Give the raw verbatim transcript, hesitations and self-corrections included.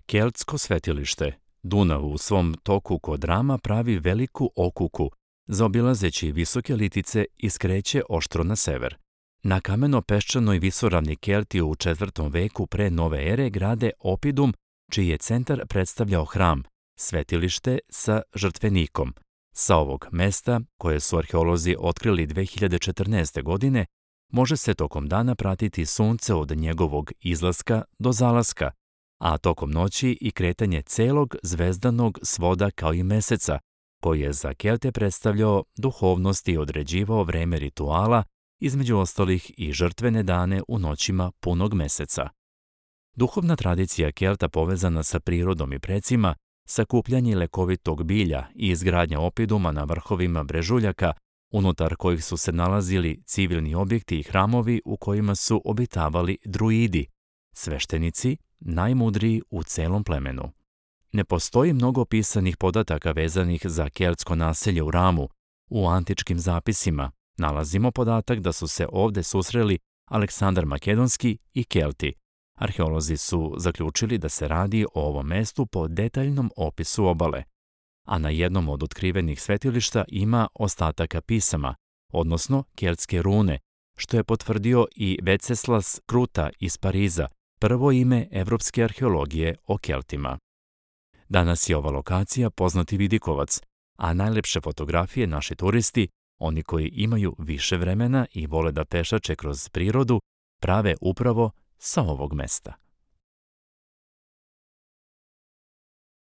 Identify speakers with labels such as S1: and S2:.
S1: Keltsko svetilište. Dunav u svom toku kod Rama pravi veliku okuku, zaobilazeći visoke litice i skreće oštro na sever. Na kameno-peščanoj visoravni Kelti u četvrtom veku pre nove ere grade Opidum, čiji je centar predstavljao hram, svetilište sa žrtvenikom. Sa ovog mesta, koje su arheolozi otkrili dve hiljade četrnaeste. godine, može se tokom dana pratiti sunce od njegovog izlaska do zalaska, a tokom noći i kretanje celog zvezdanog svoda kao i meseca, koji je za Kelte predstavljao duhovnost i određivao vreme rituala, između ostalih i žrtvene dane u noćima punog meseca. Duhovna tradicija Kelta povezana sa prirodom i precima, sakupljanje lekovitog bilja i izgradnja opiduma na vrhovima brežuljaka, unutar kojih su se nalazili civilni objekti i hramovi u kojima su obitavali druidi, sveštenici, najmudriji u celom plemenu. Ne postoji mnogo pisanih podataka vezanih za keltsko naselje u Ramu. U antičkim zapisima nalazimo podatak da su se ovde susreli Aleksandar Makedonski i Kelti. Arheolozi su zaključili da se radi o ovom mestu po detaljnom opisu obale, a na jednom od otkrivenih svetilišta ima ostataka pisama, odnosno keltske rune, što je potvrdio i Venceslas Kruta iz Pariza, prvo ime evropske arheologije o Keltima. Danas je ova lokacija poznati vidikovac, a najlepše fotografije naši turisti, oni koji imaju više vremena i vole da pešače kroz prirodu, prave upravo sa ovog mesta.